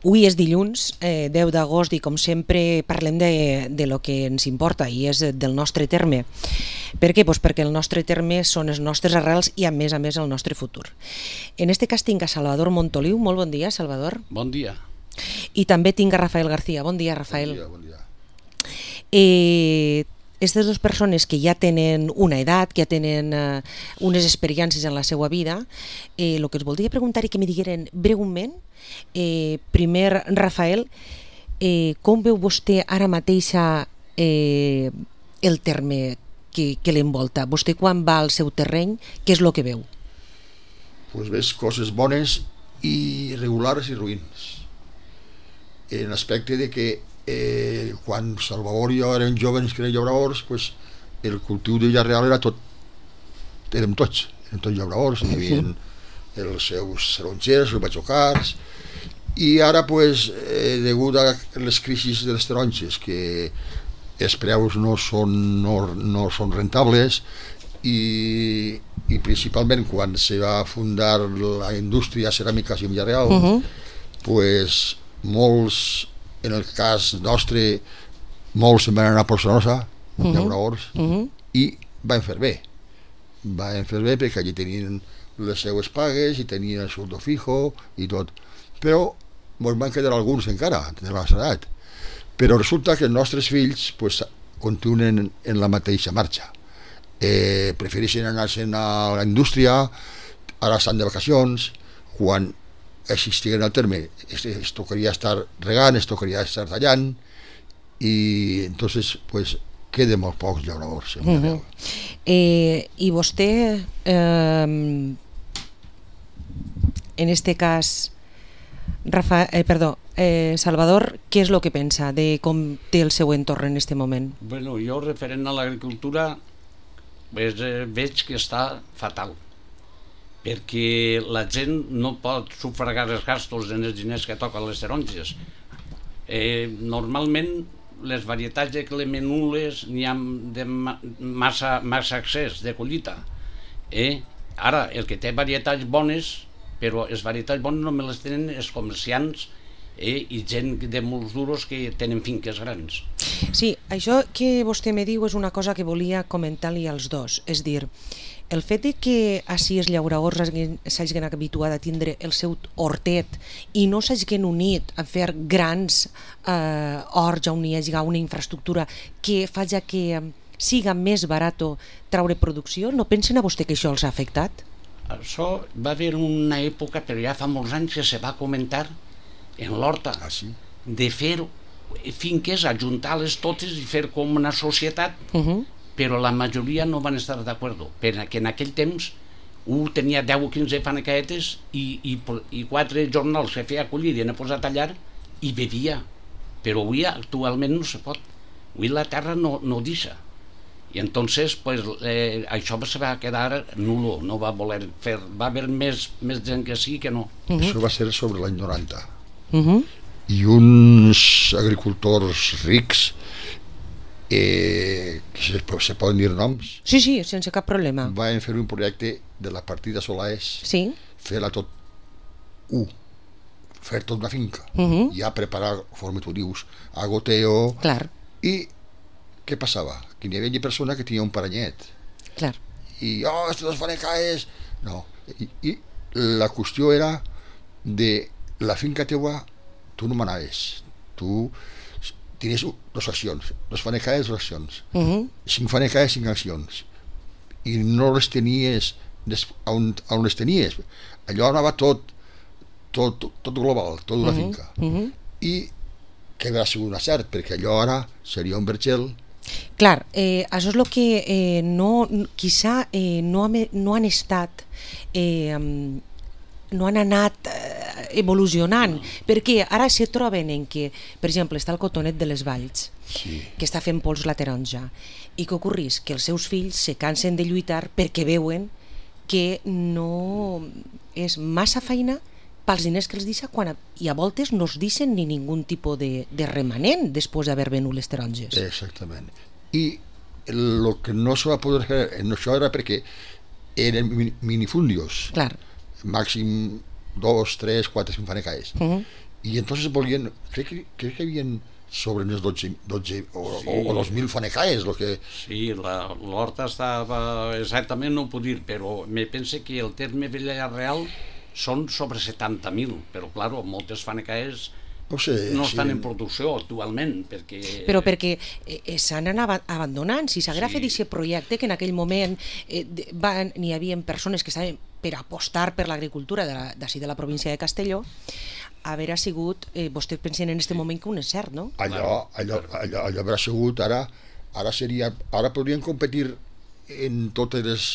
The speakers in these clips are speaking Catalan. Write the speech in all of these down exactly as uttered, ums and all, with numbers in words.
Avui és dilluns, eh, deu d'agost, i com sempre parlem de, de lo que ens importa, i és del nostre terme. Per què? Pues perquè el nostre terme són les nostres arrels i, a més a més, el nostre futur. En este cas tinc a Salvador Montoliu. Molt bon dia, Salvador. Bon dia. I també tinc a Rafael García. Bon dia, Rafael. Bon dia, bon dia. Eh, Aquestes dues persones que ja tenen una edat, que ja tenen eh, unes experiències en la seva vida, eh, el que us voldria preguntar i que me digueren breument, eh, primer, Rafael, eh, com veu vostè ara mateixa eh, el terme que, que l'envolta? Vostè quan va al seu terreny, què és el que veu? Pues ves coses bones i regulars i ruïns. En l'aspecte de que Eh, quan Salvador i jo érem joves que eren llauradors, pues, el cultiu de Villarreal era tot, érem tots, érem tots llauradors, hi havia els seus tarongers, els batxocars, i ara, pues, eh, degut a les crisis de les taronges, que els preus no són, no, no són rentables, i, i principalment quan se va fundar la indústria ceràmica a Villarreal, uh -huh. pues, molts, en el cas nostre, molts se'n van anar a Porçanosa, uh -huh. llauradors, uh -huh. i van fer bé. Van fer bé perquè allí tenien les seues pagues i tenien el sueldo fijo i tot. Però ens van quedar alguns encara, de la edat. Però resulta que els nostres fills pues, continuen en la mateixa marxa. Eh, prefereixen anar-se'n a la indústria, ara estan de vacacions, quan existien al terme, es tocaria estar regant, es tocaria estar tallant, i entonces pues queden molt pocs llauradors. Uh -huh. eh, I vostè, eh, en este cas, Rafa, eh, perdó, eh, Salvador, què és el que pensa de com té el seu entorn en este moment? Bueno, jo, referent a l'agricultura, pues, eh, veig que està fatal, perquè la gent no pot sufragar els gastos en els diners que toquen les taronges. Eh, normalment les varietats de clemenules n'hi ha de massa, massa accés de collita. Eh? Ara, el que té varietats bones, però les varietats bones només les tenen els comerciants eh? i gent de molts duros que tenen finques grans. Sí, això que vostè me diu és una cosa que volia comentar-li als dos, és dir, el fet de que així els llauradors s'hagin habituat a tindre el seu hortet i no s'hagin unit a fer grans eh, horts on hi hagi una infraestructura que faci que siga més barat traure producció, no pensen a vostè que això els ha afectat? Això va haver una època, però ja fa molts anys, que se va comentar en l'horta, ah, sí? de fer finques, ajuntar-les totes i fer com una societat, uh-huh. però la majoria no van estar d'acord, perquè en aquell temps un tenia deu o quinze fanecaetes i, i, i quatre jornals que feia collir i anar a posar a tallar i bevia, però avui actualment no se pot, avui la terra no, no deixa, i entonces pues, eh, això se va quedar nulo, no va voler fer, va haver més, més gent que sí que no. Uh -huh. Això va ser sobre l'any noranta, uh -huh. i uns agricultors rics, Eh, que se, se poden dir noms? Sí, sí, sense cap problema. Van fer un projecte de la partida Solaes, sí. fer-la tot u, fer tot una finca, uh -huh. ja preparar, conforme tu dius, a goteo. Clar. I què passava? Que hi havia persona que tenia un paranyet. Clar. I, oh, estos dos fanecaes... No, I, i la qüestió era de la finca teua, tu no manaves, tu tenies dues accions, dos fanecaes, dues accions, uh -huh. cinc fanecaes, cinc accions, i no les tenies on, on les tenies, allò anava tot tot, tot global, tot una uh -huh. finca, uh -huh. i que va ser un acert, perquè allò ara seria un vergel. Clar, eh, això és el que eh, no, quizà eh, no, ha, no han estat eh, no han anat eh, evolucionant, no. Perquè ara se troben en que, per exemple, està el Cotonet de les Valls, sí. que està fent pols la taronja, i què ocorreix? Que els seus fills se cansen de lluitar perquè veuen que no és massa feina pels diners que els deixa, quan a, i a voltes no es deixen ni ningun tipus de, de remanent després d'haver venut les taronges. Exactament. I el que no se va poder fer en això era perquè eren minifundios. Clar. Màxim dos, tres, quatre, cinc fanecaes. Uh -huh. Y entonces volvían, creo que, creo que habían sobre unos doce, doce o, Sí. o, o dos mil fanecaes, lo que... Sí, la- l'horta estava... Exactament no ho puc dir, però me pense que el terme Villarreal són sobre setanta mil, però, claro, moltes fanecaes No sé, no si estan en eren- producció actualment, perquè... Però perquè eh, eh, s'han anat abandonant. Si s'haguera Sí. fet aquest projecte, que en aquell moment eh, de- van, n'hi havia persones que estaven per apostar per l'agricultura de la- d'ací de, de la província de Castelló, haver sigut, eh, vostès pensen en aquest moment que un és cert, no? Allò, allò, allò, allò haurà sigut, ara, ara seria, ara podrien competir en totes les,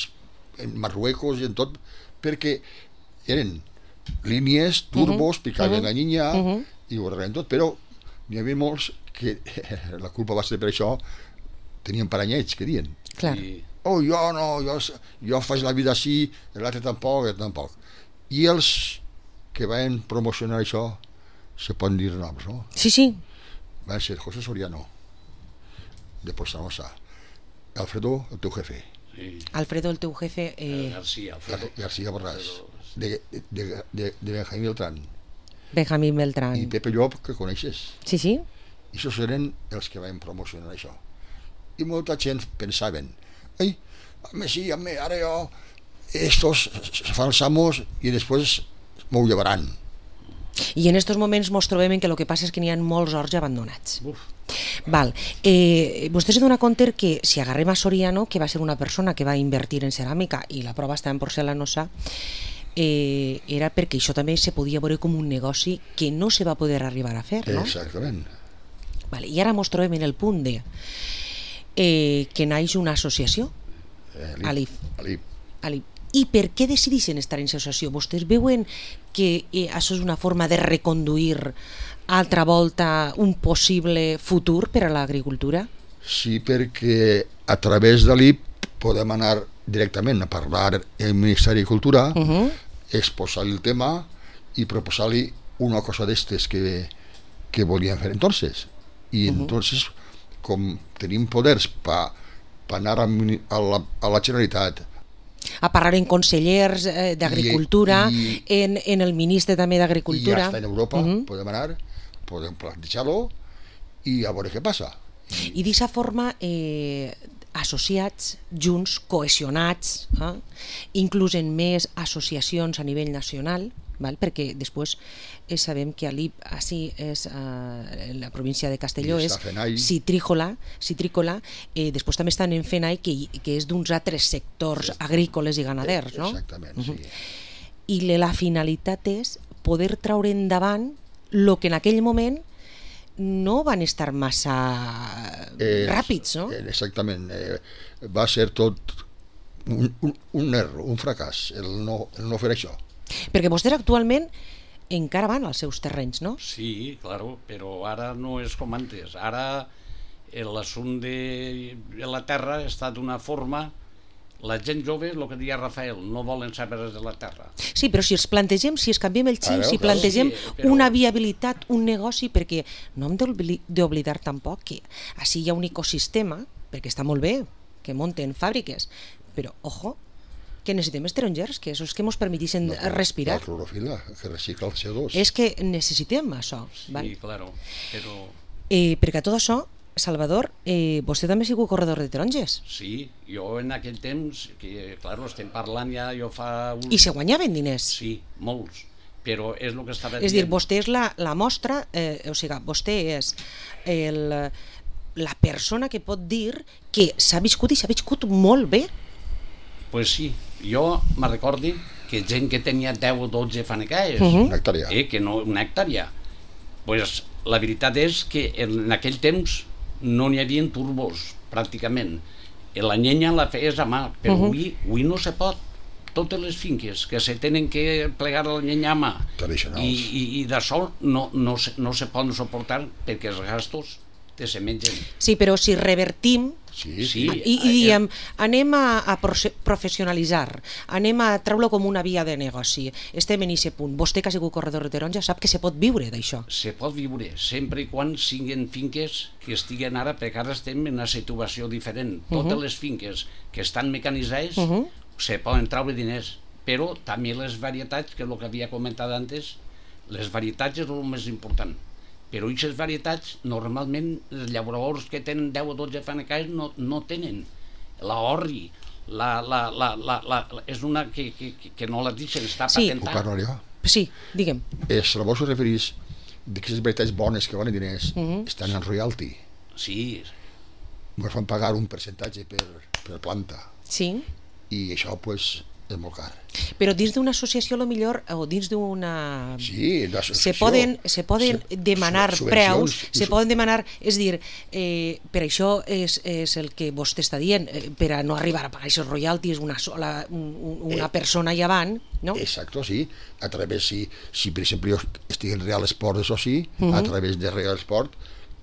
en Marruecos i en tot, perquè eren línies, turbos, picaven la niña i ho arreglen tot, però n'hi havia molts que la culpa va ser per això, tenien paranyets, que diuen. Clar. I, Oh, jo no, jo, jo faig la vida així, l'altre tampoc, l'altre tampoc. I els que van promocionar això, se poden dir noms, no? Sí, sí. Van ser José Soriano, de Pozzanosa, Alfredo, el teu jefe, sí, Alfredo, el teu jefe... Eh, García, Gar Alfredo. García Borràs, de, de, de, de Benjamín Beltrán, Benjamín Beltrán. i Pepe Llop, que coneixes. Sí, sí. I això eren els que van promocionar això. I molta gent pensaven, ei, a mi sí, a mi, ara jo, estos se fan els amos i després m'ho llevaran. I en estos moments mos trobem en que el que passa és que n'hi ha molts horts ja abandonats. Uf, Val. Eh, vostè se dona compte que si agarrem a Soriano, que va ser una persona que va invertir en ceràmica i la prova està en porcelanosa, eh, era perquè això també se podia veure com un negoci que no se va poder arribar a fer, no? Exactament. Vale. I ara mos trobem en el punt de eh, que naix una associació, Eh, Alif. Alif. Ali. I per què decideixen estar en associació? Vostès veuen que eh, això és una forma de reconduir altra volta un possible futur per a l'agricultura? Sí, perquè a través de l'I P podem anar directament a parlar amb el Ministeri de Cultura, Uh -huh. exposar el tema i proposar-li una cosa d'estes que, que volien fer entonces. I entonces, com tenim poders per pa anar a, mini- a, la, a la Generalitat, A parlar en consellers eh, d'Agricultura, I- en, en el ministre també i ja d'Agricultura. està en Europa, Uh -huh. podem anar, podem plantejar-lo i a veure què passa. I d'aquesta forma, eh, associats, junts, cohesionats, eh? inclús en més associacions a nivell nacional, val? Perquè després eh, sabem que a l'I P, així és, eh, en la província de Castelló, I és està FENAI. citrícola, citrícola eh, després també estan en FENAI, que, que és d'uns altres sectors agrícoles i ganaders, no? Exactament, sí. I le- la finalitat és poder traure endavant el que en aquell moment no van estar massa Eh, ràpids, no? eh, Exactament. Eh, va ser tot un, un, un error, un fracàs, el no, el no fer això. Perquè vostès actualment encara van als seus terrenys, no? sí, claro, però ara no és com antes. Ara l'assumpte de la terra està d'una forma... La gent jove, el que deia Rafael, no volen saber res de la terra. Sí, però si els plantegem, si es canviem el xip, Claro, si claro. plantegem Sí, però- una viabilitat, un negoci, perquè no hem d'obli- d'oblidar tampoc que així hi ha un ecosistema, perquè està molt bé que munten fàbriques, però, ojo, que necessitem estrangers, que esos que ens permetixen respirar. La clorofila, que recicla el C O dos. És que necessitem això. Sí, Val? claro, però... Eh, perquè tot això, Salvador, eh, vostè també ha sigut corredor de taronges Sí, jo en aquell temps, que, claro, estem parlant ja, jo fa... Un... i se guanyaven diners. Sí, molts, però és el que estava És a dir, vostè és la, la mostra, eh, o sigui, vostè és el, la persona que pot dir que s'ha viscut i s'ha viscut molt bé. Pues sí, jo me recordi que gent que tenia deu o dotze fanecaes, Mhm. Una hectàrea. eh, que no una hectàrea, pues la veritat és que en aquell temps no n'hi havia turbos, pràcticament. I la llenya la feies a mà, però Mhm. avui, avui no se pot. Totes les finques que se tenen que plegar la llenya a mà Tradicionals. i, i, i de sol no, no, se, no se poden suportar perquè els gastos te se mengen. Sí, però si revertim Sí, Sí. sí. i, i diem, anem a, a proce- professionalitzar, anem a treure com una via de negoci, estem en aquest punt. Vostè que ha sigut corredor de taronja sap que se pot viure d'això. Se pot viure sempre i quan siguin finques que estiguen ara, perquè ara estem en una situació diferent. Totes les finques que estan mecanitzades Uh -huh. se poden treure diners, però també les varietats, que és el que havia comentat antes, Les varietats és el més important, però aquestes varietats normalment els llauradors que tenen deu o dotze fanecaes no, no tenen. La orri, la, la, la, la, la, és una que, que, que no la deixen, està Sí. Puc patentada. parlar jo? Sí, digue'm. És, la vos referís d'aquestes varietats bones que valen diners, Mhm. estan en royalty. Sí, Ens fan pagar un percentatge per, per planta, Sí. i això pues, és molt car. Però dins d'una associació, lo millor, o dins d'una... Sí, se l'associació- poden, se poden se- demanar su- preus, subvencions, se su- poden demanar, és dir, eh, per això és, és el que vostè està dient, eh, per a no arribar a pagar aquests royalties una sola, un, un- una Eh, persona allà avant, no? Exacto, sí. A través, si, si per exemple jo estic en Real Sport, això sí, Mhm. a través de Real Sport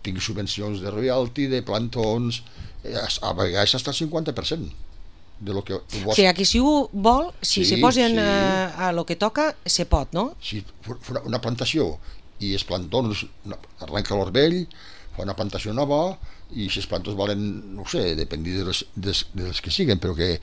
tinc subvencions de royalty, de plantons, eh, a vegades fins al cinquanta per cent de lo que O vos... sigui, que si ho vol, si Sí, se posen sí. a, a lo que toca, se pot, no? Si fa una plantació i els plantons no, arrenca l'orbell, fa una plantació nova i si els plantons valen, no ho sé, depèn de les, des, de les que siguen, però que,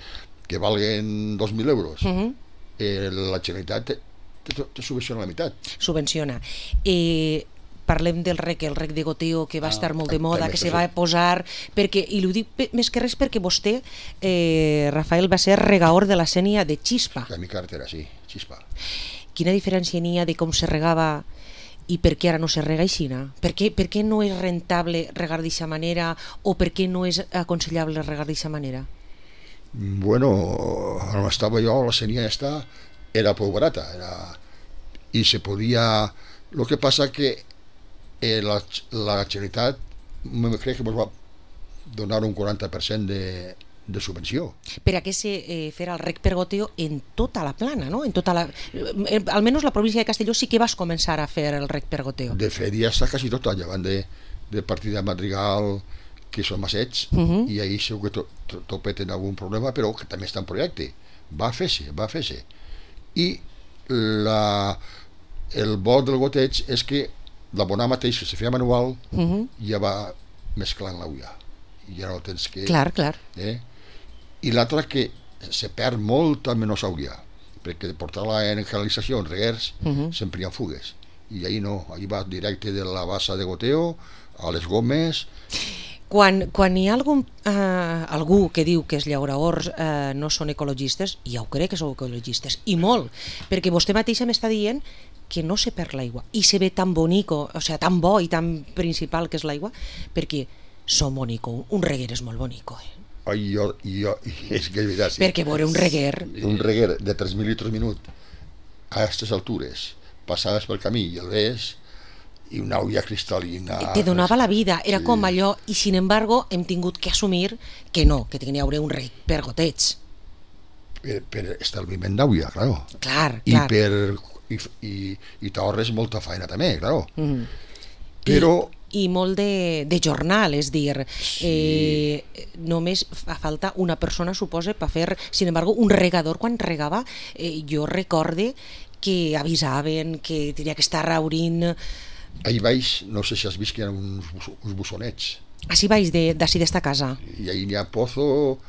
que valguen dos mil euros, Mhm. eh, la Generalitat te, te, te subvenciona la meitat. Subvenciona. Eh, parlem del rec, el rec de goteo, que va Ah, estar molt de tam- moda, també que està se va fet. posar, perquè, i ho dic pe- més que res perquè vostè, eh, Rafael, va ser regaor de la Sénia de Xispa. La mi cartera, sí, xispa. Quina diferència n'hi ha de com se regava i per què ara no se rega aixina? Per què, per què no és rentable regar d'aquesta manera o per què no és aconsellable regar d'aquesta manera? Bueno, on estava jo, la senia esta era prou barata, era... i se podia... Lo que passa que eh, la, la Generalitat me crec que ens va donar un quaranta per cent de, de subvenció. Per a què se eh, farà el rec per goteo en tota la plana, no? En tota la... Eh, almenys la província de Castelló sí que vas començar a fer el rec per goteo. De fet, ja està quasi tota, llevant de, de partida Madrigal, que són massets, Mhm. i ahir segur que to, to, topet en algun problema, però que també està en projecte. Va fer-se, va fer-se. I la, el bo del goteig és que l'abonar mateix, que se feia manual, Mhm. ja va mesclant l'ulla. I ja no tens que... Clar, clar. Eh? I l'altre que se perd molta menys aigua, perquè portar-la en canalització, en reguers, Mhm. sempre hi ha fugues. I ahir no, ahir va directe de la bassa de goteo a les gomes. Quan, quan hi ha algun, eh, algú que diu que els llauraors eh, no són ecologistes, ja ho crec que sou ecologistes, i molt, perquè vostè mateixa m'està dient que no se perd l'aigua, i se ve tan bonico, o sigui, tan bo i tan principal que és l'aigua, perquè són bonico, un reguer és molt bonico, eh? Ai, jo, jo, és que és veritat, sí. Perquè veure un reguer... Un reguer de tres mil litres minut a aquestes altures, passaves pel camí i el ves, i una olla cristal·lina... Te donava la vida, era Sí. com allò, i sin embargo hem tingut que assumir que no, que tenia haurà un rec per goteig. Per, per estalviment d'aigua, claro. Clar, I clar. per... I, i, i t'ahorres molta feina també, claro. Mhm. Però... I, i molt de, de jornal, és dir, eh, només fa falta una persona, suposa, per fer, sin embargo, un regador quan regava, eh, jo recorde que avisaven que tenia que estar raurint, Ahí baix, no sé si has vist que hi ha uns, bus- uns bussonets, així baix de- d'ací d'esta casa. i ahí n'hi ha Pozo,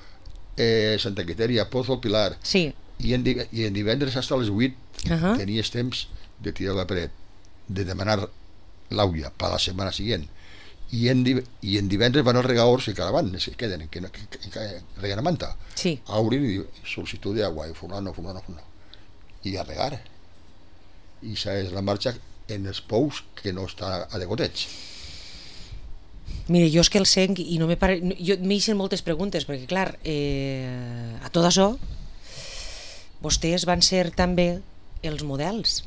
eh, Santa Quiteria, Pozo, Pilar, Sí. i en, div- i en divendres fins a les vuit Ahà. tenies temps de tirar la paret, de demanar l'aigua per la setmana següent, i en, div i en divendres van els regadors que encara van, que queden, que, no- que, que, que reguen a manta, Sí. a obrir i dir, sol·licitud d'aigua, i fulano, fulano, fulano, i a regar. I esa és la marxa en els pous que no està a de goteig. Mire, jo és que el senc i no me pare... no- jo m'eixen moltes preguntes, perquè clar, eh, a tot això, vostès van ser també els models.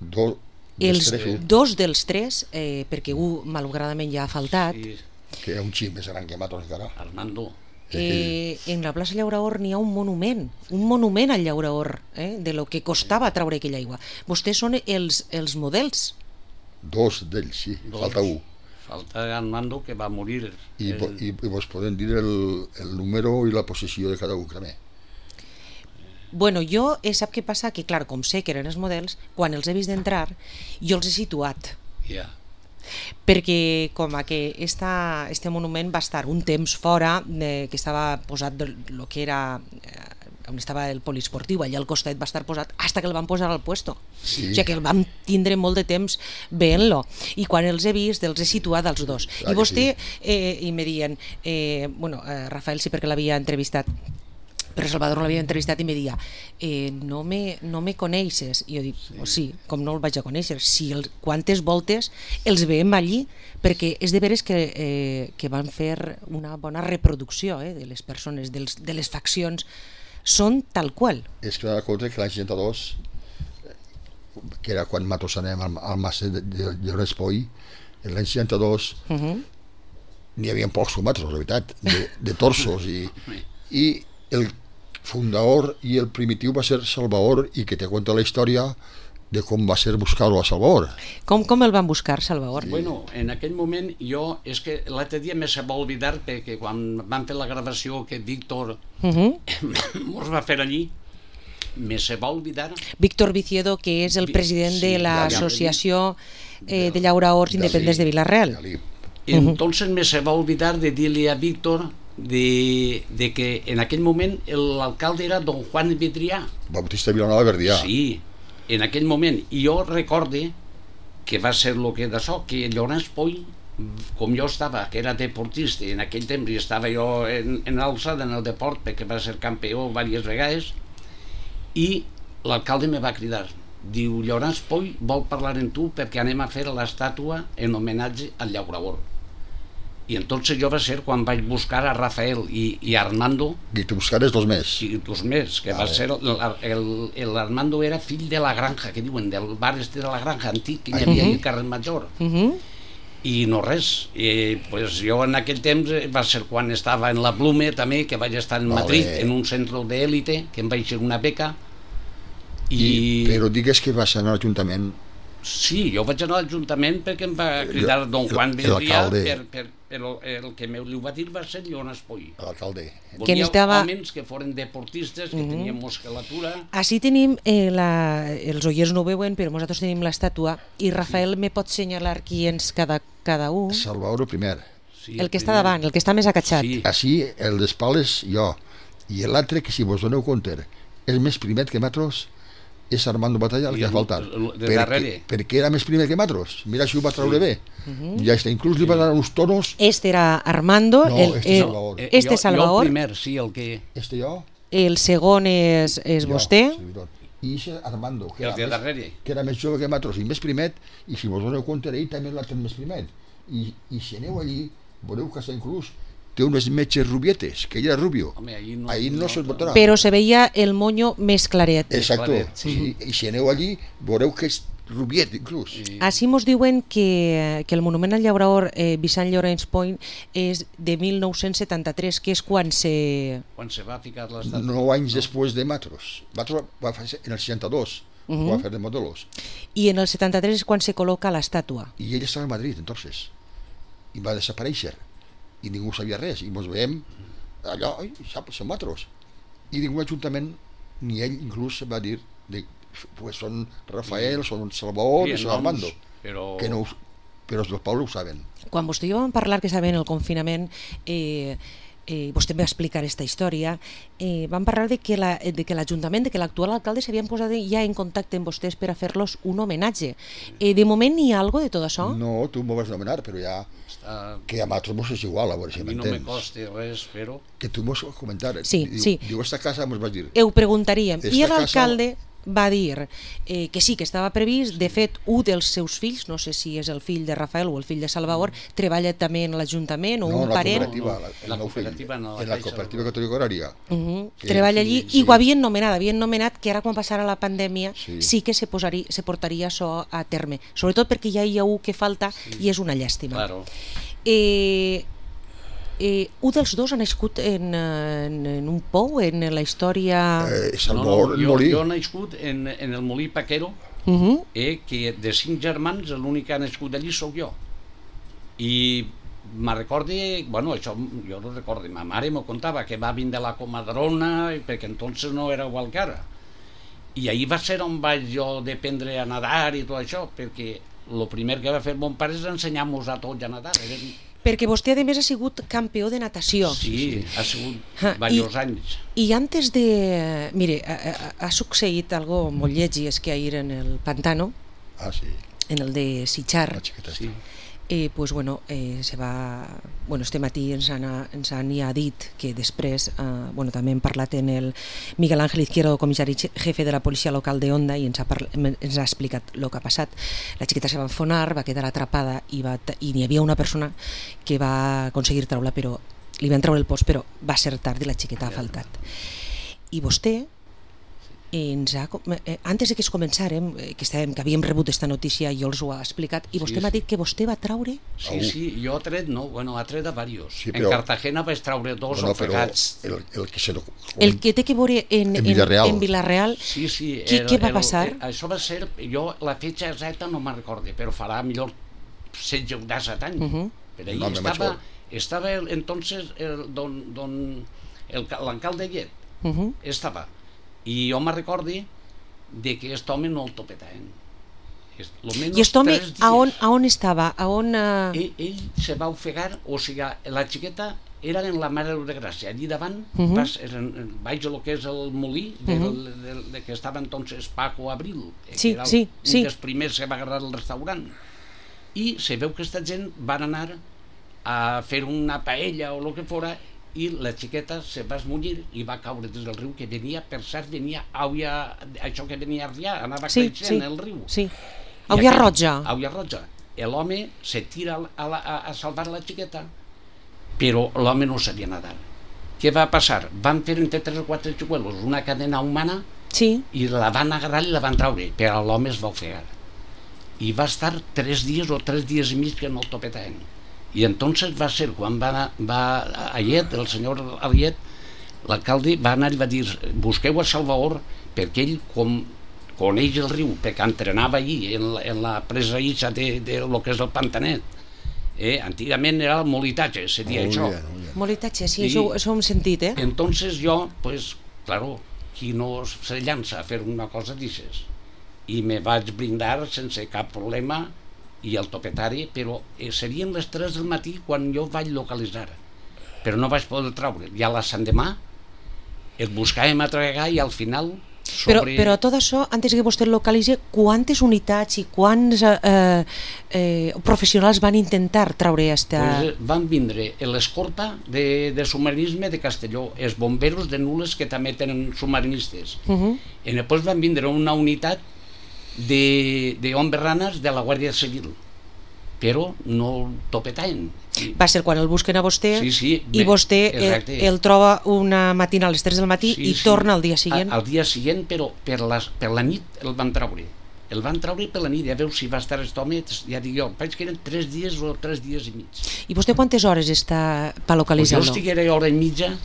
Do, Els dels tres, dos dels tres, eh, perquè un malauradament ja ha faltat, Sí, que hi ha un xip més gran que matos encara. Armando. eh, en la plaça Llauraor n'hi ha un monument, un monument al Llauraor, eh, de lo que costava traure aquella aigua. Vostès són els, els models. Dos d'ells, sí, Dos. falta un. Falta Armando, que va morir. I, el- i, i vos podem dir el, el número i la posició de cada un també. Bueno, jo eh, sap què passa? Que clar, com sé que eren els models, quan els he vist d'entrar, jo els he situat. Ja. perquè com a que esta, este monument va estar un temps fora, eh, que estava posat del lo que era eh, on estava el poliesportiu, allà al costat va estar posat hasta que el van posar al puesto. Sí. O sigui que el vam tindre molt de temps veient-lo, i quan els he vist els he situat als dos. Clar I vostè, sí. eh, i me dient eh, bueno, eh, Rafael sí perquè l'havia entrevistat, però Salvador l'havia entrevistat i me dia eh, no, me, no me coneixes, i jo dic, sí. Oh, sí, com no el vaig a conèixer, si el, quantes voltes els veiem allí, perquè és de veres que, eh, que van fer una bona reproducció eh, de les persones, dels, de les faccions, són tal qual. És que m'ha compte que l'any seixanta-dos, que era quan Matos anem al, al Mas de, de, de Respoi, l'any seixanta-dos uh -huh. n'hi havia pocs combats, la veritat, de, de torsos, i, i el fundador i el primitiu va ser Salvador, i que te cuenta la història de com va ser buscar-lo a Salvador. Com, com el van buscar, Salvador? Sí. Bueno, en aquell moment jo, és que l'altre dia me se va oblidar perquè quan van fer la gravació que Víctor uh -huh. mos va fer allí, me se va oblidar. Víctor Viciedo, que és el president sí, de l'Associació eh, de Llauraors Independents de Vila-real. Entonces me se va olvidar de dir-li a Víctor de, de que en aquell moment l'alcalde era don Juan Vidrià. Bautista Vilanova Verdià. Sí, en aquell moment. I jo recorde que va ser el que d'això, que Llorenç Poll, com jo estava, que era deportista, en aquell temps i estava jo en, en alçada en el deport, perquè va ser campió diverses vegades, i l'alcalde me va cridar. Diu, Llorenç Poll vol parlar amb tu perquè anem a fer l'estàtua en homenatge al llaurador. I entonces jo va ser quan vaig buscar a Rafael i, i Armando. I tu buscares dos més. I dos més, que va ser l'Armando era fill de la granja, que diuen, del bar este de la granja antic que hi havia al carrer Major. I no res. I, pues, jo en aquell temps va ser quan estava en la Blume també, que vaig estar en Madrid, en un centre d'élite, que em vaig fer una beca. I... Però digues que vas anar a l'Ajuntament. Sí, jo vaig anar a l'Ajuntament perquè em va cridar don Juan Vidrià, per, per, però el que li va dir va ser Llorenç Poll. L'alcalde. Volia homes que foren deportistes, que tenien musculatura. Així tenim, eh, la, els oients no ho veuen, però nosaltres tenim l'estàtua, i Rafael me pot senyalar qui és cada, cada un. Salvador primer. Sí, el, el que primer. Està davant, el que està més acatxat. Sí. Així, el d'espales, jo. I l'altre, que si vos doneu compte, és més primet que nosaltres, és Armando Batalla el que ha faltat, perquè, perquè era més primer que nosaltres. Mira si ho va treure sí. bé. Uh-huh. Ja està, inclús li va dar uns tonos. Este era Armando, no, el, este, el, Salvador. Eh, este jo, Salvador. Jo el primer, sí, el que... Este jo. El segon és, és jo, vostè. Servidor. I és Armando, que el era, més, que era més jove que nosaltres i més primet, i si vos doneu compte, ell també l'ha tenit més primet. I, i si aneu allí, veureu que està inclús té unes metges rubietes, que ell era rubio. Home, ahí no, ahí no, no se'l botarà. Però se veia el moño més claret. Exacto. Claret, sí. I, I si aneu allí, veureu que és rubiet, inclús. Sí. Així mos diuen que, que el monument al llaurador eh, Vicent Llorenç Poll és de mil nou-cents setanta-tres, que és quan se... Quan se va ficar l'estàtua. Nou anys no. després de Matros. Matros va fer en el seixanta-dos, uh -huh. va fer de modelos. I en el setanta-tres és quan se col·loca l'estàtua. I ell estava a Madrid, entonces. I va desaparèixer. I ningú sabia res, i ens veiem allò, oi, saps, som matros. I ningú ajuntament, ni ell inclús va dir, de, pues són Rafael, són Salvador, i són Armando, però... que no, però els del poble ho saben. Quan vostè i jo vam parlar que estava en el confinament, eh, eh, vostè em va explicar aquesta història, eh, vam parlar de que la, de que l'Ajuntament, de que l'actual alcalde s'havien posat ja en contacte amb vostès per a fer-los un homenatge. Eh, de moment n'hi ha alguna de tot això? No, tu m'ho vas nomenar, però ja... Uh, que a nosaltres mos és igual, a veure si m'entens. A mi no me costa res, però... Que tu mos vas comentar. Sí, diu, sí. Diu, esta casa mos vas dir... Ho preguntaríem. I l'alcalde casa... va dir eh, que sí, que estava previst. De fet, un dels seus fills, no sé si és el fill de Rafael o el fill de Salvador, treballa també en l'Ajuntament o no, un parent. No, la, la cooperativa, no, en la cooperativa catòlica horària. Uh -huh. Treballa allí sí. I ho havien nomenat, havien nomenat que ara quan passara la pandèmia sí, sí que se, posaria, se portaria això a terme. Sobretot perquè ja hi ha un que falta sí. I és una llàstima. Claro. Eh, eh, un dels dos ha nascut en, en, en un pou, en la història... Eh, Salvador, no, no, jo, molí. Jo he nascut en, en el molí Paquero, uh -huh. eh, que de cinc germans l'únic que ha nascut allí sóc jo. I me recorde, bueno, això jo no recordo, ma mare m'ho contava, que va vindre la comadrona, perquè entonces no era igual que ara. I ahir va ser on vaig jo d'aprendre a nedar i tot això, perquè el primer que va fer mon pare és ensenyar-nos a tots a nedar. Eren... Perquè vostè, a més, ha sigut campió de natació. Sí, ha sigut diversos anys. I antes de... Mire, ha, ha succeït algo molt lleig, i és que ahir en el Pantano, ah, sí. en el de Sitjar, sí. eh, pues, bueno, eh, se va... Bueno, este matí ens han, ens han ja dit que després, eh, bueno, també hem parlat en el Miguel Ángel Izquierdo, comissari jefe de la policia local de Onda, i ens ha, parla, ens ha explicat el que ha passat. La xiqueta se va enfonar, va quedar atrapada i, va, i n'hi havia una persona que va aconseguir treure-la, però li van treure el post, però va ser tard i la xiqueta ha faltat. I vostè, ens ha, eh, antes de que es començàrem, eh, que, estàvem, que havíem rebut aquesta notícia, jo els ho ha explicat, i vostè sí, m'ha dit que vostè va traure... Sí, sí, jo ha tret, no, bueno, ha tret a diversos. Sí, però... En Cartagena vaig traure dos bueno, ofegats. El, el, que se... el que té que veure en, en, Villarreal. en Villarreal, sí, sí, què, el, què va el, passar? El, això va ser, jo la fetxa exacta no me'n recordo, però farà millor setze o disset anys. Uh -huh. Per ahí no, estava, estava el, entonces el, don, don, l'alcalde Llet, uh -huh. estava, i jo me'n recordo de que aquest home no el topetaven. I aquest home a on, a on estava? A on, uh... ell, ell se va ofegar, o sigui, la xiqueta era en la Mare de Gràcia, allí davant, uh -huh. vas, eren, vaig a lo que és el molí, de, uh -huh. de, de, de que estava entonces Paco Abril, sí, que era sí, un sí. dels primers que va agarrar el restaurant. I se veu que aquesta gent van anar a fer una paella o el que fora, i la xiqueta se va esmullir i va caure des del riu, que venia, per cert, venia auia, això que venia a Rià, anava sí, creixent sí, el riu. Sí, auia roja. Auia roja. L'home se tira a, la, a, a salvar la xiqueta, però l'home no sabia nedar. Què va passar? Van fer entre tres o quatre xicuelos una cadena humana sí. i la van agarrar i la van traure, però l'home es va ofegar. I va estar tres dies o tres dies i mig que no el topetaven. I entonces va ser quan va, va Allet, el senyor Allet, l'alcalde va anar i va dir busqueu a Salvador, perquè ell com coneix el riu, perquè entrenava allí en la, en la presa ixa de, de lo que és el Pantanet. Eh, antigament era el molitatge, se dia oh, això. Yeah, oh, yeah. Molitatge, sí, I, això, això ho hem sentit, eh? Entonces jo, pues, claro, qui no se llança a fer una cosa d'aixes? I me vaig brindar sense cap problema, i el topetari, però eh, serien les tres del matí quan jo vaig localitzar, però no vaig poder treure. I a la l'endemà el buscàvem a tregar i al final sobre... Però, però tot això, antes que vostè el localitzi, quantes unitats i quants eh, eh, professionals van intentar treure esta... Pues van vindre l'escorpa de, de submarinisme de Castelló, els bomberos de Nules, que també tenen submarinistes, uh -huh. i després van vindre una unitat de, de homes ranes de la Guàrdia Civil, però no el topetaven. Va ser quan el busquen a vostè sí, sí, i vostè el, el troba una matina a les tres del matí sí, i sí. torna al dia següent. Al, al dia següent, però per la, per la nit el van treure. El van treure per la nit, ja veus si va estar aquest home, ja dic jo, vaig que eren tres dies o tres dies i mig. I vostè quantes hores està per localitzar-lo? Pues jo estiguera hora i mitja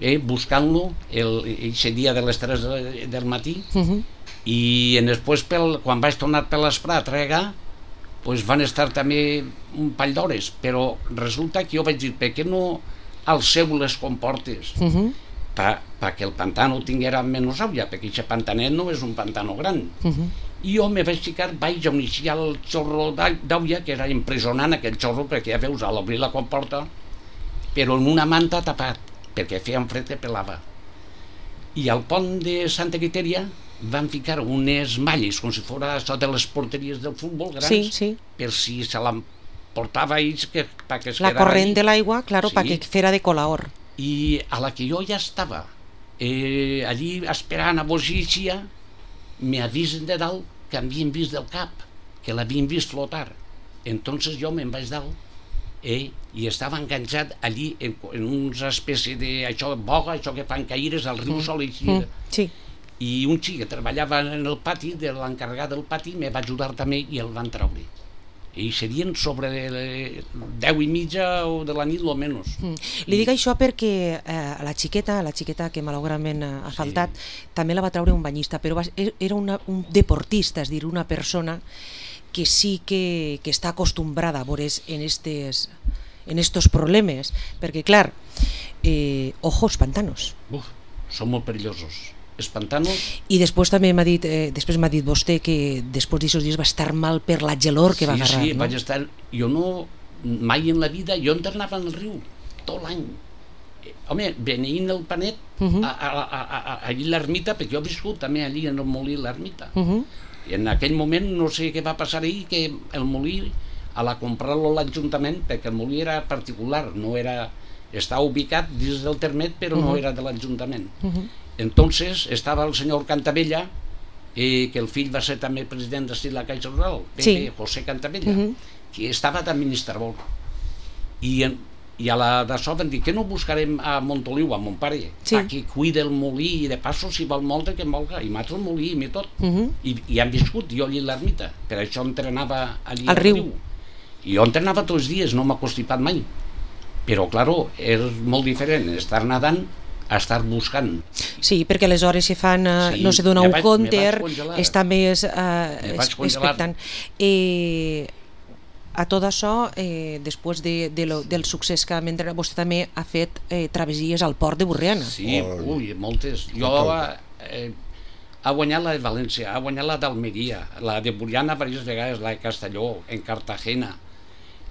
eh, buscant-lo aquest dia de les tres del matí, uh -huh. i després pel, quan vaig tornar per l'esprà a tregar, pues van estar també un pall d'hores, però resulta que jo vaig dir, per què no alceu les comportes uh -huh. perquè el pantano tinguera menys aigua, perquè aquest pantanet no és un pantano gran. Uh -huh. I jo me vaig ficar, vaig a iniciar el xorro d'aigua, que era impressionant aquell xorro, perquè ja veus, a l'obrir la comporta, però en una manta tapat, perquè feia un fred que pelava. I al pont de Santa Quiteria van ficar unes malles com si fora això de les porteries del futbol grans, sí, sí. per si se l'emportava ells que, que es la corrent allí. De l'aigua, claro, sí. perquè fera de colaor. I a la que jo ja estava eh, allí esperant a Bogícia, me avisen de dalt que havien vist del cap, que l'havien vist flotar. Entonces jo me'n vaig dalt eh, i estava enganxat allí en, en una espècie de això, boga, això que fan caires al riu mm. Sol i mm. sí. I un xic que treballava en el pati, de l'encarregat del pati, me va ajudar també i el van treure. I serien sobre deu i mitja o de la nit, o menys. Mm. Li dic això perquè eh, la xiqueta, la xiqueta que malauradament ha faltat, sí. també la va treure un banyista, però va, era una, un deportista, és dir, una persona que sí que, que està acostumbrada a veure's en estes, en estos problemes, perquè clar, eh, ojos pantanos. Uf, són molt perillosos. espantant-nos. I després també m'ha dit, eh, després m'ha dit vostè que després d'aquests dies va estar mal per la gelor que sí, va agarrar, sí, no? vaig estar... Jo no... Mai en la vida... Jo internava al riu tot l'any. Home, venint el Panet, uh -huh. a, a, a, a, allí a l'ermita, perquè jo he viscut també allí en el molí l'ermita. Uh -huh. I en aquell moment no sé què va passar ahir, que el molí, a la comprar-lo l'Ajuntament, perquè el molí era particular, no era... Estava ubicat dins del termet, però uh -huh. no era de l'Ajuntament. Uh -huh. Entonces estava el senyor Cantabella, eh, que el fill va ser també president de la Caixa Rural, sí. José Cantabella, uh -huh. que estava d'administrador. I, en, i a la d'això van dir que no buscarem a Montoliu, a mon pare, sí. que cuida el molí i de passo si vol molt que molga, i mata el molí i tot. Uh -huh. I, I han viscut jo allí a l'ermita, per això entrenava allí al riu. riu. I jo entrenava tots els dies, no m'ha constipat mai. Però, claro, és molt diferent estar nedant a estar buscant. Sí, perquè les hores se fan, uh, sí, no se dona un compte, està més uh, expectant. Eh, a tot això, eh, després de, de lo, del succés que mentre vostè també ha fet eh, travessies al port de Borriana. Sí, ui, moltes. Jo eh, ha guanyat la de València, ha guanyat la d'Almeria, la de Borriana diverses vegades, la de Castelló, en Cartagena.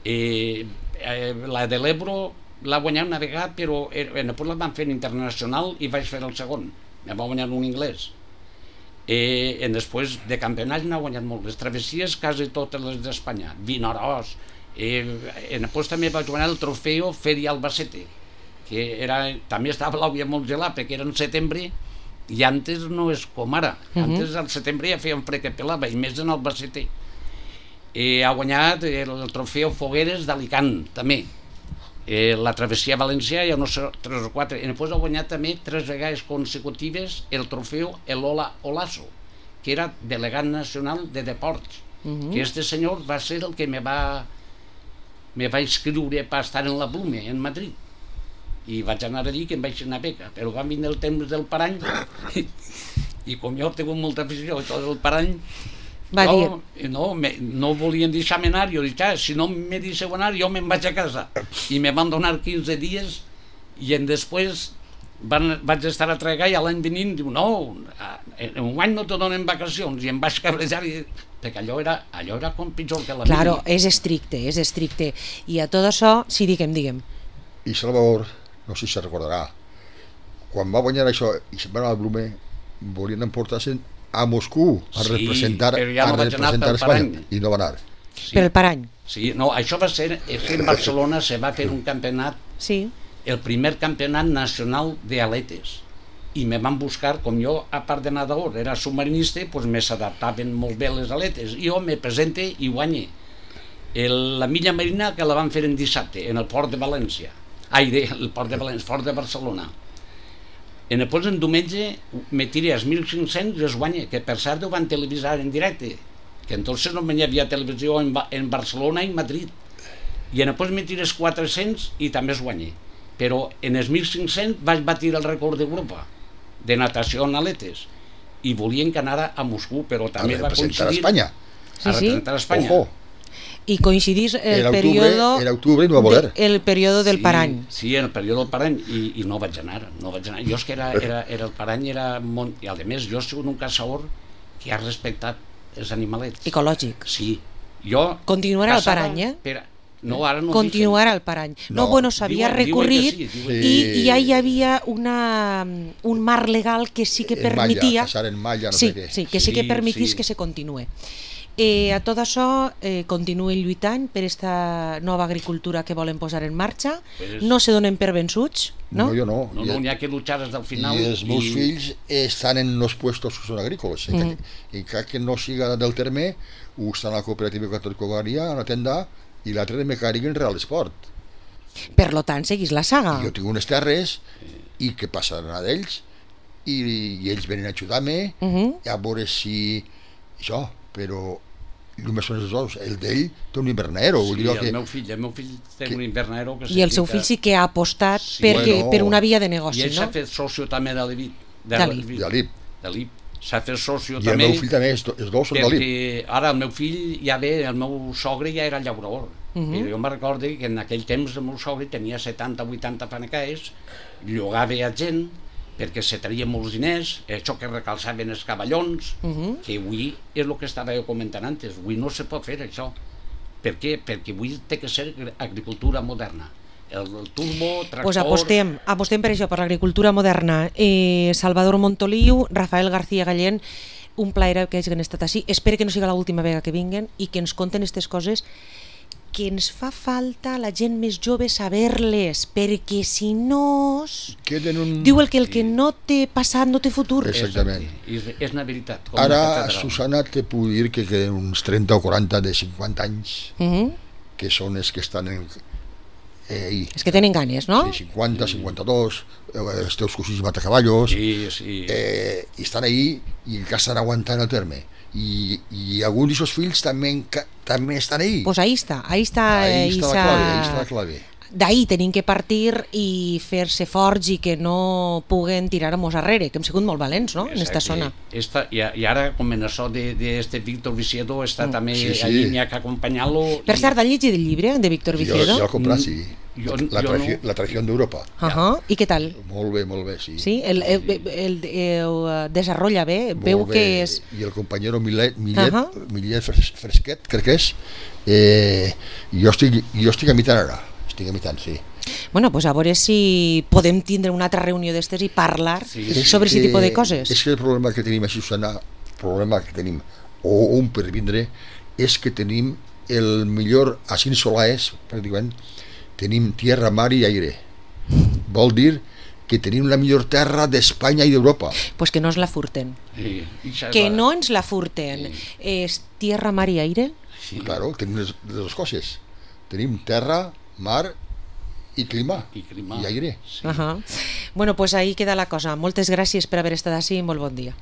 Eh, eh, la de l'Ebro l'ha guanyat una vegada, però eh, després la van fer internacional i vaig fer el segon. Me va guanyar un anglès. Eh, en després de campionats n'ha guanyat molt. Les travessies quasi totes les d'Espanya. Vinaròs. Eh, en després també vaig guanyar el trofeu Feria Albacete, que era, també estava l'auia molt gelat, perquè era en setembre i antes no és com ara. Uh -huh. Antes al setembre ja feia un fred que pelava, i més en Albacete. Eh, ha guanyat el, el trofeu Fogueres d'Alicant, també. Eh, la travessia a València hi ha uns tres o quatre, i després ha guanyat també tres vegades consecutives el trofeu Elola Olaso, que era delegat nacional de deports. Uh -huh. Que este senyor va ser el que me va me va inscriure per estar en la Blume, en Madrid, i vaig anar a dir que em vaig anar a beca, però va vindre el temps del parany i, i com jo he tingut molta afició i tot el parany va jo, no, me, no volien deixar-me anar. Jo dic, ah, si no me deixeu anar jo me'n vaig a casa, i me van donar quinze dies i en després van, vaig estar a treballar, i a l'any venint diu, no, en un any no te donen vacacions, i em vaig cabrejar, i, perquè allò era, allò era com pitjor que la vida. Claro, és estricte, és estricte, i a tot això, sí, diguem, diguem. I Salvador, no sé si se recordarà, quan va guanyar això i se'n va anar al Blume, volien emportar-se a Moscou a sí, representar, ja no a representar Espanya, i no va anar. Sí. Per el parany. Sí, no, això va ser, és que en Barcelona se va fer un campionat, sí. el primer campionat nacional d'aletes, i me van buscar, com jo, a part de nedador, era submarinista, doncs me s'adaptaven molt bé les aletes, i jo me presente i guanye el, la milla marina, que la van fer en dissabte, en el port de València, ai, de, el port de València, port de Barcelona. En després, en diumenge, me tiré als mil cinc-cents i es guanya, que per cert ho van televisar en directe, que entonces no hi havia televisió en, en Barcelona i Madrid. I en després me tiré els quatre-cents i també es guanya. Però en els mil cinc-cents vaig batir el rècord d'Europa de natació en aletes, i volien que anara a Moscou, però també va coincidir... A Espanya. Sí, a representar sí. Espanya. Ojo. I coincidís el en periodo octubre, en octubre no va poder. de, el periodo del sí, parany. Sí, en el període del parany, i, i no vaig anar, no vaig anar. Jo és que era, era, era el parany era molt... I a més, jo he sigut un caçador que ha respectat els animalets. Ecològic. Sí. Jo continuarà el parany, eh? Per, no, ara no continuarà el parany. No, no bueno, s'havia recorrit sí, i, i ja hi havia una, un marc legal que sí que permetia... En malla, caçar en malla, no sí, sé què. Sí, que sí, sí que permetís sí. que se continue. Eh, a tot això eh, continuen lluitant per aquesta nova agricultura que volen posar en marxa, pues, no se donen per vençuts, no? No, jo no. No, no, n'hi ha que luchar des del final. I els meus i... fills estan en els puestos que són agrícoles, mm. i que, que no siga del terme, ho estan a la cooperativa Católica, a la tenda, i l'altre de mecànic en Real Esport. Per lo tant, seguís la saga. I jo tinc unes terres, i que passaran d'ells, i, i ells venen a ajudar-me, uh -huh. a veure si... això, però... només són els dos, el d'ell té un invernadero. Sí, el, que, meu fill, el meu fill té que, un invernadero que i el seu fill sí que ha apostat sí, perquè, bueno, per una via de negoci, i ell no? s'ha fet socio també de l'I B I. De l'I B I. S'ha fet socio I també. I el meu fill també, els dos són de l'I B I. Ara el meu fill ja ve, el meu sogre ja era llaurador. Uh -huh. Però jo me'n recordo que en aquell temps el meu sogre tenia setanta o vuitanta fanecais, llogava a gent, perquè se traien molts diners, això que recalçaven els cavallons, uh -huh. que avui és el que estava jo comentant antes, avui no se pot fer això. Per què? Perquè avui té que ser agricultura moderna. El, el turbo, tractor... Pues apostem, apostem per això, per l'agricultura moderna. Eh, Salvador Montoliu, Rafael García Gallén, un plaer que hagin estat així. Espero que no siga l'última vegada que vinguen i que ens conten aquestes coses que ens fa falta a la gent més jove saber-les, perquè si no... Un... Diu el que el que no té passat no té futur. Exactament. És, és una veritat. Com Ara, una Susana, te puc dir que queden uns trenta o quaranta de cinquanta anys, uh -huh. que són els que estan en... Eh, és que tenen ganes, no? Sí, cinquanta, cinquanta-dos, els teus cosins matacavallos, sí, sí. Eh, i estan ahí i encara estan aguantant el terme. I, i alguns d'aquests fills també, també estan ahí. Pues ahí està, ahí està, ahí està la clave, ahí està la clave. D'ahí tenim que partir i fer-se forts i que no puguen tirar-nos arrere, que hem sigut molt valents, no?, en aquesta zona. Esta, i, I ara, com en això d'este Víctor Viciedo, està mm. també sí, sí. allí, n'hi ha que acompanyar-lo. Per cert, has llegit el llibre de Víctor Viciedo? Jo, jo l'he comprat, sí. Jo, la, jo traició, no. la traició d'Europa. Uh -huh. I què tal? Molt bé, molt bé, sí. Sí? El, el, el, el, el desarrolla bé? Molt veu bé. Que és... I el companyero Millet, Millet, uh -huh. Millet Fresquet, crec que és, eh, jo, estic, jo estic imitant ara, estic imitant, sí. Bueno, pues a veure si podem tindre una altra reunió d'estes i parlar sí, sí. sobre aquest tipus de coses. És que el problema que tenim a Susana, el problema que tenim, o un per vindre, és que tenim el millor, a Cinc Solaes, pràcticament, tenim tierra, mar i aire. Vol dir que tenim la millor terra d'Espanya i d'Europa. Pues que no ens la furten. Sí. Que no ens la furten. Sí. És tierra, mar i aire? Sí. Claro, tenim les, les dues coses. Tenim terra, mar i clima, i, clima. i aire. Sí. Uh -huh. Bueno, pues ahí queda la cosa. Moltes gràcies per haver estat així i molt bon dia.